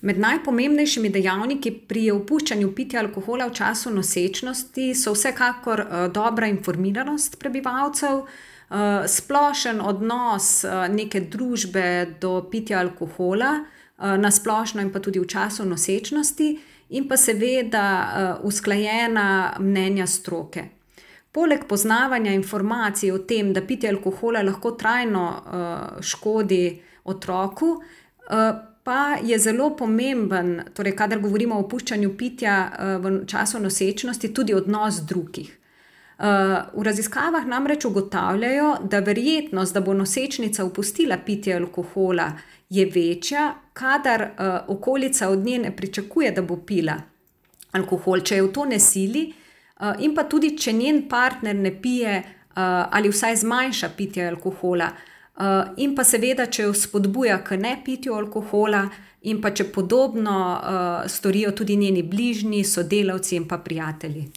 Med najpomembnejšimi dejavniki pri opuščanju pitja alkohola v času nosečnosti so vsekakor dobra informiranost prebivalcev, splošen odnos neke družbe do pitja alkohola, na splošno in pa tudi v času nosečnosti, in pa seveda usklajena mnenja stroke. Poleg poznavanja informacij o tem, da pitje alkohola lahko trajno škodi otroku, pa je zelo pomemben, torej kadar govorimo o opuščanju pitja v času nosečnosti, tudi odnos drugih. V raziskavah namreč ugotavljajo, da verjetnost, da bo nosečnica opustila pitje alkohola, je večja, kadar okolica od nje ne pričakuje, da bo pila alkohol, če je v to ne sili, in pa tudi, če njen partner ne pije ali vsaj zmanjša pitje alkohola, in pa seveda, če jo spodbuja k nepitju alkohola, in pa če podobno storijo tudi njeni bližnji, sodelavci in pa prijatelji.